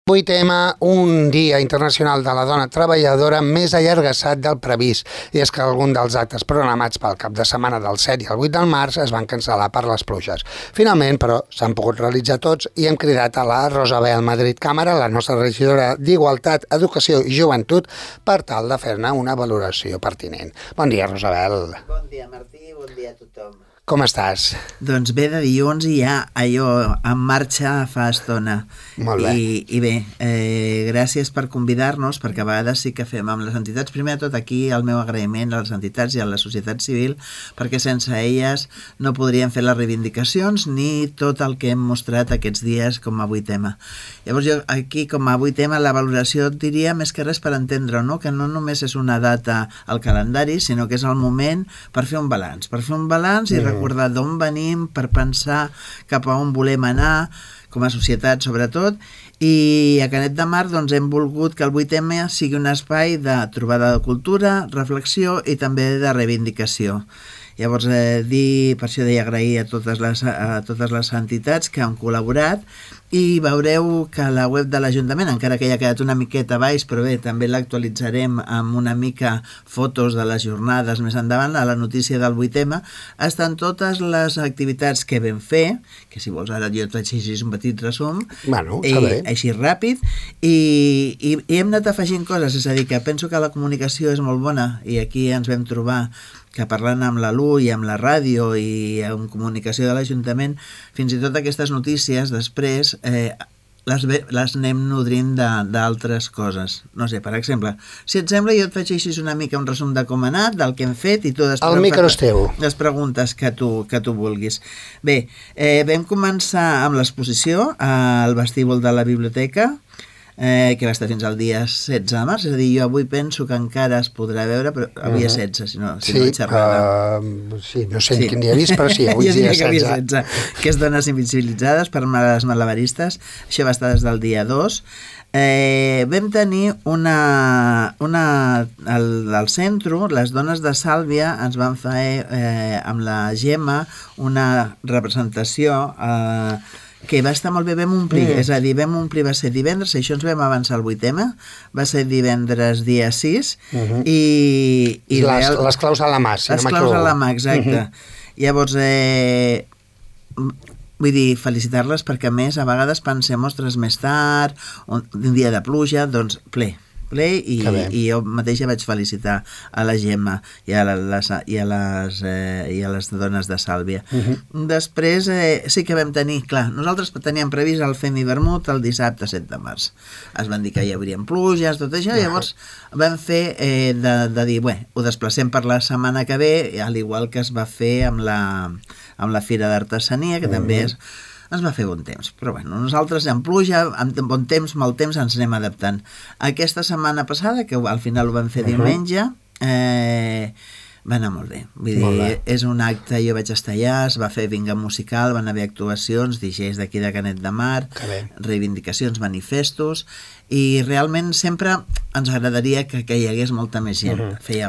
8M, un dia internacional de la dona treballadora més allargassat del previst, i és que alguns dels actes programats pel cap de setmana del 7 i el 8 del març es van cancel·lar per les pluges. Finalment, però, s'han pogut realitzar tots i hem cridat a la Rosabel Madrid Càmera, la nostra regidora d'Igualtat, Educació i Joventut, per tal de fer-ne una valoració pertinent. Bon dia, Rosabel. Bon dia, Martí, bon dia a tothom. Com estàs? Doncs bé, de dilluns i ja allò en marxa fa estona. Molt bé. I bé, gràcies per convidar-nos, perquè a vegades sí que fem amb les entitats. Primer de tot, aquí el meu agraïment a les entitats i a la societat civil, perquè sense elles no podríem fer les reivindicacions ni tot el que hem mostrat aquests dies com a 8M. Llavors jo aquí com a 8M la valoració et diria més que res per entendre, no? Que no només és una data al calendari, sinó que és el moment per fer un balanç. Per fer un balanç i recordar d'on venim, per pensar cap a on volem anar, com a societat sobretot, i a Canet de Mar doncs, hem volgut que el 8M sigui un espai de trobada de cultura, reflexió i també de reivindicació. Llavors, per això deia agrair a totes les entitats que han col·laborat, i veureu que la web de l'Ajuntament, encara que ja ha quedat una miqueta baix, però bé, també l'actualitzarem amb una mica fotos de les jornades més endavant, a la notícia del 8M, estan totes les activitats que vam fer, que si vols ara jo et faig així un petit resum, Bueno, està bé. així ràpid, i hem anat afegint coses, és a dir, que penso que la comunicació és molt bona, i aquí ens vam trobar que parlant amb la LU i amb la ràdio i amb comunicació de l'Ajuntament, fins i tot aquestes notícies després les anem nodrint d'altres coses. No sé, per exemple, si et sembla jo et faig així una mica un resum de com ha anat, del que hem fet i tu després El micro és teu. les preguntes que tu vulguis. Bé, vam començar amb l'exposició al vestíbul de la biblioteca, que va estar fins al dia 16 de març, és a dir, jo avui penso que encara es podrà veure, però avui és 16, si no he xerrada. Sí, no sé quin dia he vist, però sí, avui jo és dia diria que 16. Que és dones invisibilitzades per les malabaristes, això va estar des del dia 2. Vam tenir al centre, les dones de Sàlvia ens van fer amb la Gemma una representació que va estar molt bé, vam omplir, és a dir, vam omplir, va ser divendres, això ens vam avançar al 8M, va ser divendres dia 6, i les claus a la mà, si no m'equivoco. Les claus a la mà, exacte. Llavors, vull dir, felicitar-les perquè a més a vegades pensem, ostres, més tard, un dia de pluja, doncs ple, i jo mateixa vaig felicitar a la Gemma i a les dones de Sàlvia. Després sí que vam tenir, clar, nosaltres teníem previst el Fem i Vermut el dissabte 7 de març. Es van dir que hi haurien pluges, tot això, llavors vam fer de dir, bé, ho desplacem per la setmana que ve, al igual que es va fer amb la Fira d'Artesania, que també ens va fer bon temps, però bueno, nosaltres amb pluja, amb bon temps, mal temps, ens anem adaptant. Aquesta setmana passada, que al final ho vam fer diumenge, va anar molt bé. Vull dir, és un acte, jo vaig estar allà, es va fer vinga musical, van haver actuacions, DJs d'aquí de Canet de Mar, reivindicacions, manifestos, i realment sempre ens agradaria que hi hagués molta més gent.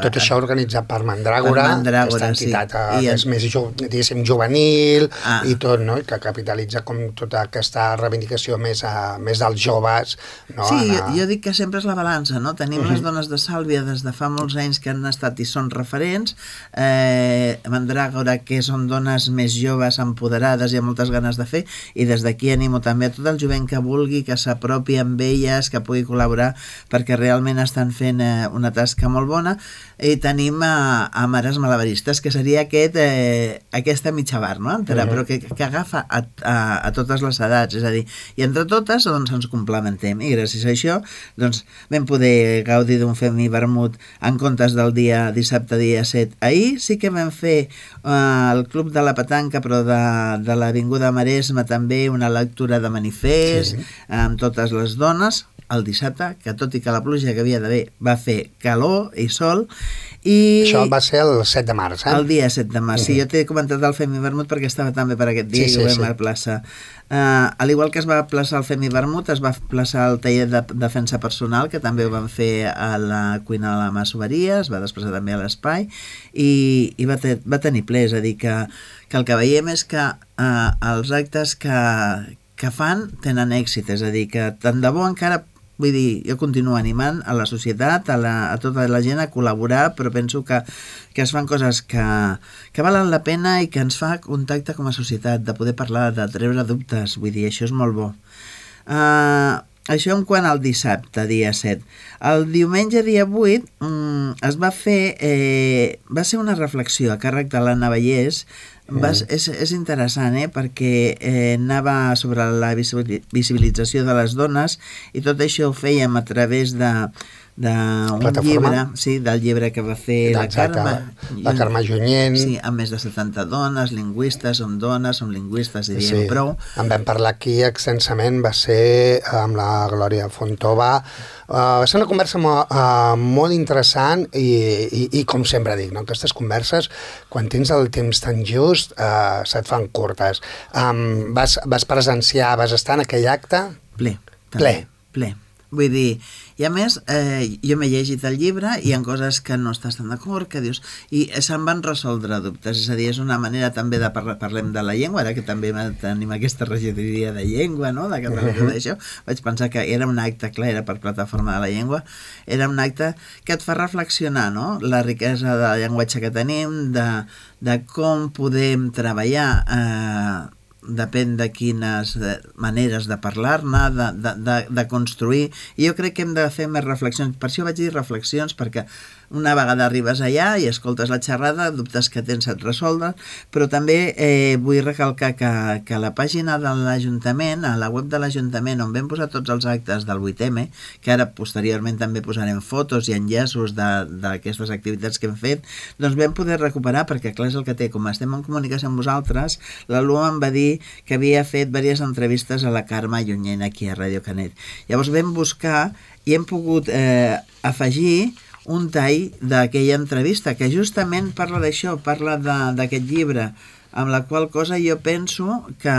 Tot això organitzat per Mandràgora, aquesta entitat que és més, diguéssim, juvenil i tot, no? Que capitalitza com tota aquesta reivindicació més dels joves. Sí, jo dic que sempre és la balança, no? Tenim les dones de Sàlvia des de fa molts anys que han estat i són referents, Mandràgora, que són dones més joves, empoderades i amb moltes ganes de fer, i des d'aquí animo també a tot el jovent que vulgui que s'apropi amb elles, que pugui col·laborar, perquè realment estan fent una tasca molt bona. I tenim a Mares Malabaristes, que seria aquesta mitja bar, no? Però que agafa a totes les edats, és a dir, i entre totes doncs ens complementem, i gràcies a això doncs vam poder gaudir d'un Fem i Vermut en comptes del dissabte dia 7. Ahir sí que vam fer al Club de la Petanca, però de l'Avinguda Maresme també, una lectura de manifest amb totes les dones, el dissabte, que tot i que la pluja que havia d'haver va fer calor i sol. Això va ser el 7 de març, El dia 7 de març, sí, jo t'he comentat el Fem i Vermut perquè estava també per aquest dia i ho vam aplaçar. Al igual que es va aplaçar el Fem i Vermut, es va aplaçar el taller de defensa personal, que també ho vam fer a la cuina de la masoveria, es va desplaçar també a l'espai, i va tenir ple, és a dir, que el que veiem és que els actes que que fan tenen èxit, és a dir, que tant de bo encara, vull dir, jo continuo animant a la societat, a tota la gent a col·laborar, però penso que es fan coses que valen la pena i que ens fa contacte com a societat, de poder parlar, de treure dubtes, vull dir, això és molt bo. Això en quant al dissabte, dia 7. El diumenge, dia 8, es va fer, va ser una reflexió a càrrec de l'Anna Vallès. És interessant, perquè anava sobre la visibilització de les dones i tot això ho fèiem a través d'un llibre, sí, del llibre que va fer la Carme Junyent. Sí, amb més de 70 dones, lingüistes, som lingüistes, i diem prou. En vam parlar aquí extensament, va ser amb la Glòria Fontova. Va ser una conversa molt interessant i com sempre dic, no? Aquestes converses, quan tens el temps tan just, se't fan curtes. Vas presenciar, vas estar en aquell acte? Ple. Vull dir, i a més, jo m'he llegit el llibre i hi ha coses que no estàs tan d'acord, que dius, i se'n van resoldre dubtes, és a dir, és una manera també de parlem de la llengua, ara que també tenim aquesta regidoria de llengua, no?, de catalogia d'això, vaig pensar que era un acte, clar, era per Plataforma de la Llengua, era un acte que et fa reflexionar, no?, la riquesa de llenguatge que tenim, de com podem treballar, depèn de quines maneres de parlar-ne, de construir, i jo crec que hem de fer més reflexions. Per això vaig dir reflexions, perquè una vegada arribes allà i escoltes la xerrada, dubtes que tens et resoldre, però també vull recalcar que a la pàgina de l'Ajuntament, a la web de l'Ajuntament, on vam posar tots els actes del 8M, que ara posteriorment també posarem fotos i enllaços d'aquestes activitats que hem fet, doncs vam poder recuperar, perquè clar, és el que té, com estem en comunicació amb vosaltres, l'Alua em va dir que havia fet diverses entrevistes a la Carme Junyent aquí a Ràdio Canet. Llavors vam buscar i hem pogut afegir un tall d'aquella entrevista que justament parla d'això, parla d'aquest llibre, amb la qual cosa jo penso que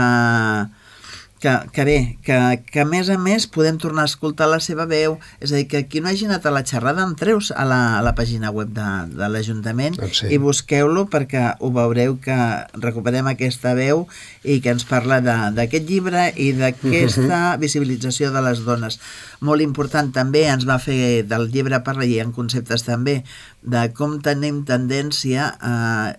bé, que a més podem tornar a escoltar la seva veu, és a dir, que qui no hagi anat a la xerrada entreus a la pàgina web de l'Ajuntament i busqueu-lo, perquè ho veureu que recuperem aquesta veu i que ens parla d'aquest llibre i d'aquesta visibilització de les dones. Molt important també, ens va fer del llibre parla i en conceptes també de com tenim tendència,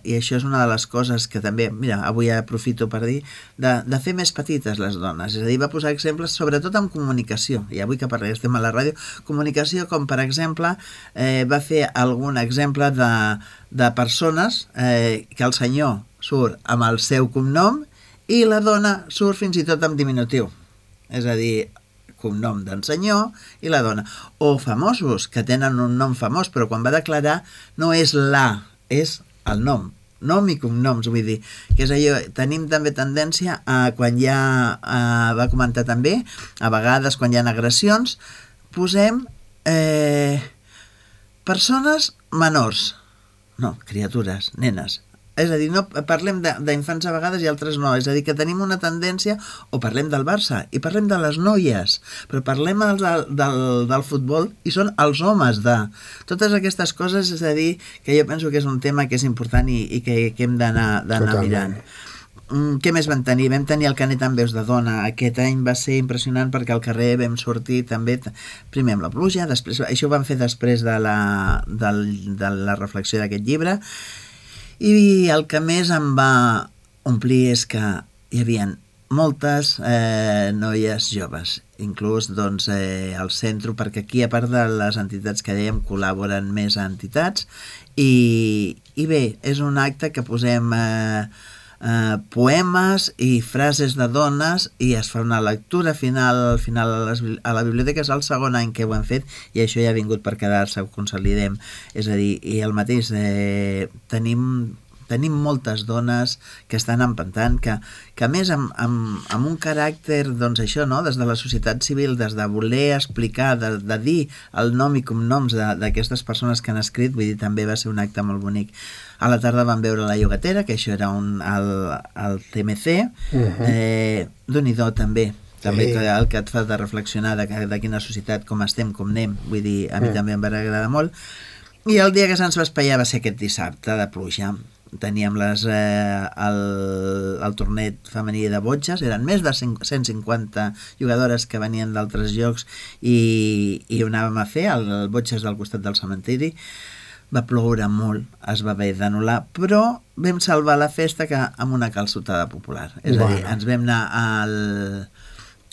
i això és una de les coses que també, mira, avui aprofito per dir, de fer més petites les dones. És a dir, va posar exemples sobretot en comunicació, i avui que estem a la ràdio, comunicació, com per exemple va fer algun exemple de persones que el senyor surt amb el seu cognom i la dona surt fins i tot amb diminutiu, és a dir, cognom d'en senyor i la dona, o famosos que tenen un nom famós, però quan va declarar no és és el nom i cognoms, vull dir, que és allò, tenim també tendència a, quan va comentar també, a vegades quan hi ha agressions, posem persones menors, no, criatures, nenes. És a dir, no parlem d'infants a vegades i altres no, és a dir, que tenim una tendència, o parlem del Barça i parlem de les noies, però parlem del futbol i són els homes de... Totes aquestes coses, és a dir, que jo penso que és un tema que és important i que hem d'anar mirant. Què més vam tenir? Vam tenir el Canet amb veus de dona. Aquest any va ser impressionant perquè al carrer vam sortir també, primer amb la pluja, després, això ho vam fer després de la reflexió d'aquest llibre. I el que més em va omplir és que hi havia moltes noies joves, inclús doncs, al centre, perquè aquí, a part de les entitats que dèiem, col·laboren més entitats, i bé, és un acte que posem poemes i frases de dones i es fa una lectura final a la biblioteca. És el segon any que ho hem fet i això ja ha vingut per quedar-se, ho consolidem. És a dir, i el mateix, tenim moltes dones que estan empentant, que a més amb un caràcter, doncs això, no? Des de la societat civil, des de voler explicar, de dir el nom i cognoms d'aquestes persones que han escrit, vull dir, també va ser un acte molt bonic. A la tarda vam veure La Llogatera, que això era el TMC, Déu-n'hi-do també el que et fa de reflexionar de quina societat, com estem, com anem, vull dir, a mi també em va agradar molt. I el dia que se'ns va espaiar va ser aquest dissabte de pluja, teníem el torneig femení de botxes, eren més de 150 jugadores que venien d'altres llocs i ho anàvem a fer, el botxes del costat del cementiri. Va ploure molt, es va haver d'anul·lar, però vam salvar la festa amb una calçotada popular. És a dir, ens vam anar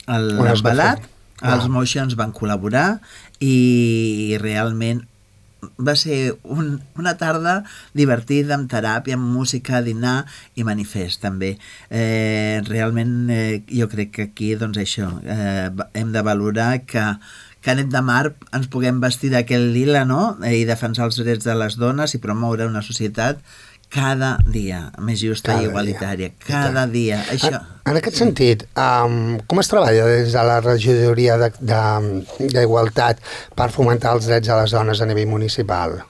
al embalat, els Moixons van col·laborar i realment va ser una tarda divertida, amb teràpia, amb música, dinar i manifest també. Realment jo crec que aquí doncs això, hem de valorar que Canet de Mar ens puguem vestir d'aquell lila, no? I defensar els drets de les dones i promoure una societat cada dia més justa i igualitària. Cada dia. Això. En aquest sentit, com es treballa des de la regidoria d'Igualtat per fomentar els drets de les dones a nivell municipal?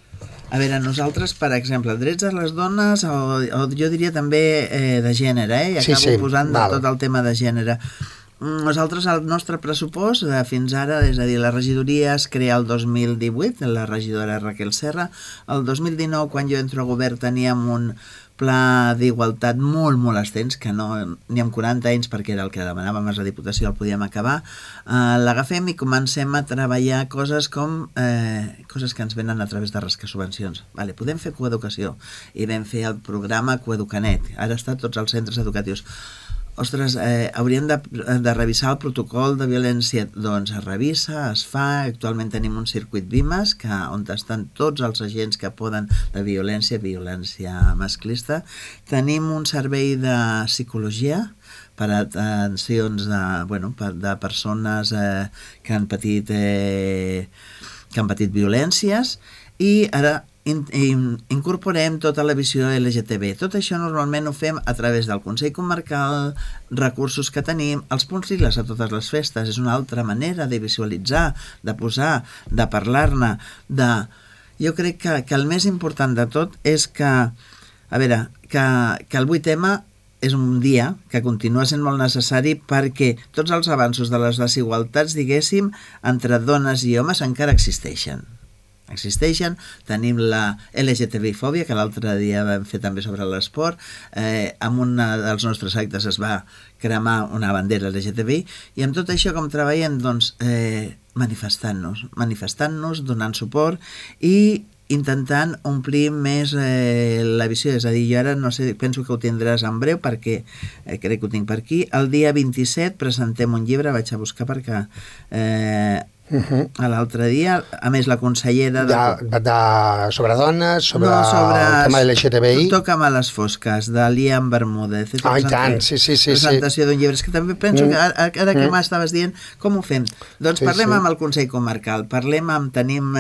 A veure, nosaltres, per exemple, drets de les dones, o jo diria també de gènere, i acabo posant tot el tema de gènere. Nosaltres, el nostre pressupost, fins ara, és a dir, la regidoria es crea el 2018, la regidora Raquel Serra. El 2019, quan jo entro a govern, teníem un pla d'igualtat molt, molt extens, que no n'hi ha 40 anys, perquè era el que demanàvem a la Diputació, el podíem acabar. L'agafem i comencem a treballar coses com coses que ens venen a través de rascar subvencions. Podem fer coeducació, i vam fer el programa Coeducanet. Ara està a tots els centres educatius. Ostres, hauríem de revisar el protocol de violència. Doncs es revisa, es fa. Actualment tenim un circuit VIMAS on estan tots els agents que poden de violència masclista. Tenim un servei de psicologia per a atencions de persones que han patit violències, i ara incorporem tota la visió LGTB. Tot això normalment ho fem a través del Consell Comarcal, recursos que tenim, els punts lila a totes les festes. És una altra manera de visualitzar, de posar, de parlar-ne. Jo crec que el més important de tot és que el 8M és un dia que continua sent molt necessari, perquè tots els avanços de les desigualtats, diguéssim, entre dones i homes encara existeixen. Tenim la LGTBI-fòbia, que l'altre dia vam fer també sobre l'esport. En un dels nostres actes es va cremar una bandera LGTBI, i amb tot això com treballem? Doncs manifestant-nos, donant suport i intentant omplir més la visió. És a dir, jo ara no sé, penso que ho tindràs en breu, perquè crec que ho tinc per aquí. El dia 27 presentem un llibre, vaig a buscar perquè l'altre dia, a més la consellera sobre dones, sobre el tema de l'LGTBI. Toca'm a les fosques, de Liam Bermúdez. I tant, sí. Presentació d'un llibre. És que també penso que ara que m'estaves dient, com ho fem? Doncs parlem amb el Consell Comarcal, tenim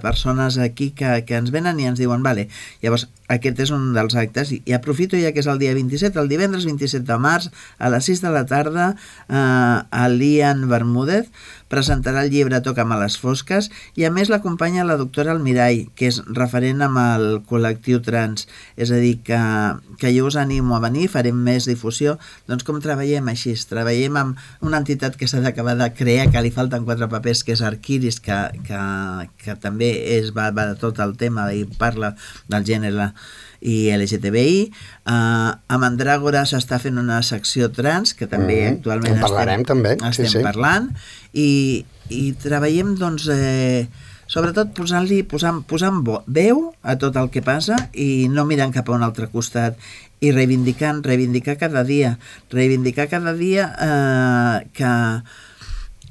persones aquí que ens venen i ens diuen, vale, llavors aquest és un dels actes, i aprofito ja que és el dia 27, el divendres 27 de març, a les 6 de la tarda, a Liam Bermúdez presentarà el llibre Toca'm a les fosques, i a més l'acompanya la doctora Almirall, que és referent amb el col·lectiu trans. És a dir, que jo us animo a venir, farem més difusió. Doncs com treballem així? Treballem amb una entitat que s'ha d'acabar de crear, que li falten 4 papers, que és Arquiris, que també va de tot el tema i parla del gènere i LGTBI. A Mandràgora s'està fent una secció trans, que també actualment estem parlant, i treballem doncs sobretot posant veu a tot el que passa i no mirant cap a un altre costat, i reivindicar cada dia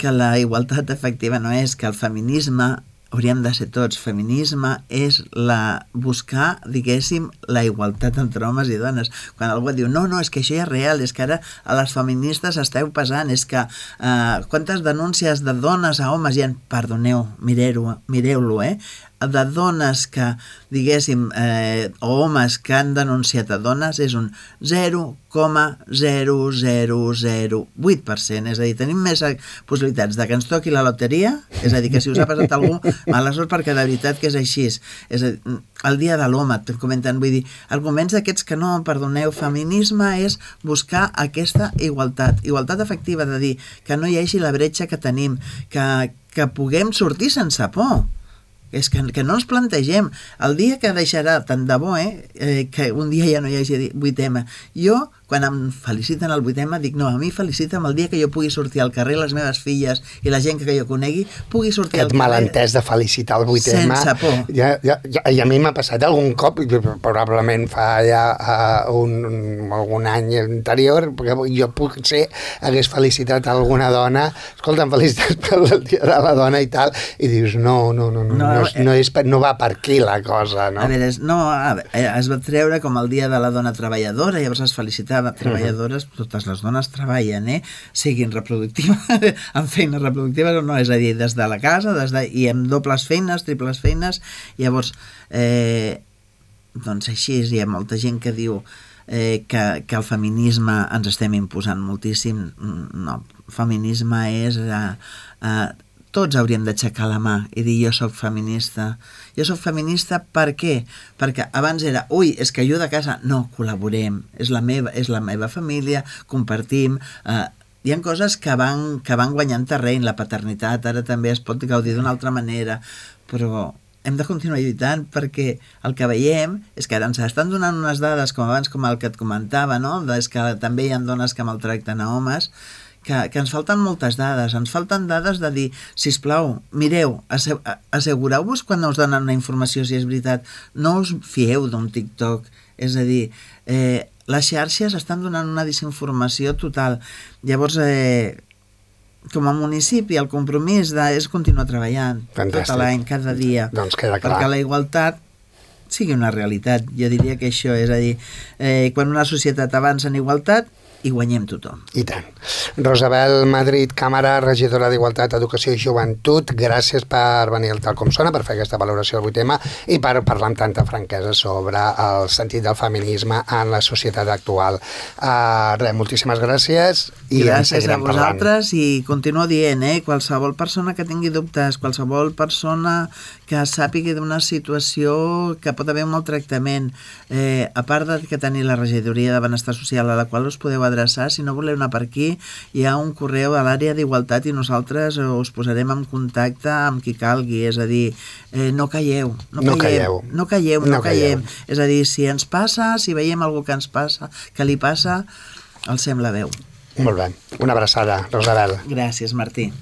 que la igualtat efectiva no és, que el feminisme hauríem de ser tots. Feminisme és buscar, diguéssim, la igualtat entre homes i dones. Quan algú diu, no, és que això ja és real, és que ara a les feministes esteu pesant, és que quantes denúncies de dones a homes hi ha? Perdoneu, mireu-lo, de dones que, diguéssim, o homes que han denunciat a dones, és un 0,0008%. És a dir, tenim més possibilitats de que ens toqui la loteria, és a dir, que si us ha passat algú, mala sort, perquè de veritat que és així. És a dir, el dia de l'home, et comenten, vull dir, arguments d'aquests que no, perdoneu, feminisme és buscar aquesta igualtat efectiva, de dir que no hi hagi la bretxa que tenim, que puguem sortir sense por. és que no ens plantegem el dia que deixarà, tant de bo, que un dia ja no hi hagi 8M. Jo, quan em feliciten el 8M, dic, no, a mi felicita'm el dia que jo pugui sortir al carrer, les meves filles i la gent que jo conegui pugui sortir al carrer. Aquest malentès de felicitar el 8M. Sense por. I a mi m'ha passat algun cop, probablement fa ja algun any anterior, perquè jo potser hagués felicitat alguna dona, escolta'm, felicitats per el dia de la dona i tal, i dius, no va per aquí la cosa, no? A veure, es va treure com el dia de la dona treballadora, llavors es felicitava treballadores, totes les dones treballen, siguin reproductives, amb feines reproductives o no, és a dir, des de la casa, i amb dobles feines, triples feines, llavors, doncs així, hi ha molta gent que diu que el feminisme ens estem imposant moltíssim. No, feminisme és... tots hauríem d'aixecar la mà i dir jo soc feminista. Jo soc feminista per què? Perquè abans era, ui, és que jo de casa, no, col·laborem, és la meva família, compartim, hi ha coses que van guanyant terreny, la paternitat ara també es pot gaudir d'una altra manera, però hem de continuar lluitant perquè el que veiem és que ara ens estan donant unes dades com abans, com el que et comentava, no? És que també hi ha dones que maltracten a homes, que ens falten moltes dades, ens falten dades de dir, sisplau, mireu, assegureu-vos quan us donen una informació si és veritat, no us fieu d'un TikTok, és a dir, les xarxes estan donant una desinformació total. Llavors, com a municipi, el compromís és continuar treballant tot l'any, cada dia, doncs queda clar. perquè la igualtat sigui una realitat. Jo diria que això, és a dir, quan una societat avança en igualtat, i guanyem tothom. I tant. Rosabel Madrid Càmara, regidora d'Igualtat, Educació i Joventut, gràcies per venir al Tal Com Sona, per fer aquesta valoració del 8M i per parlar amb tanta franquesa sobre el sentit del feminisme en la societat actual. Moltíssimes gràcies i gràcies a vosaltres i continuo dient, qualsevol persona que tingui dubtes, qualsevol persona que sàpiga d'una situació que pot haver un maltractament, a part de que tenir la regidoria de Benestar Social a la qual us podeu adreçar, si no voleu anar per aquí, hi ha un correu a l'àrea d'Igualtat i nosaltres us posarem en contacte amb qui calgui, és a dir, no calleu. És a dir, si ens passa, si veiem algú que ens passa, que li passa, alcem la veu. Molt bé. Una abraçada, Rosabel. Gràcies, Martí.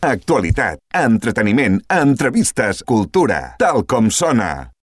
Actualitat, entreteniment, entrevistes, cultura, Tal Com Sona.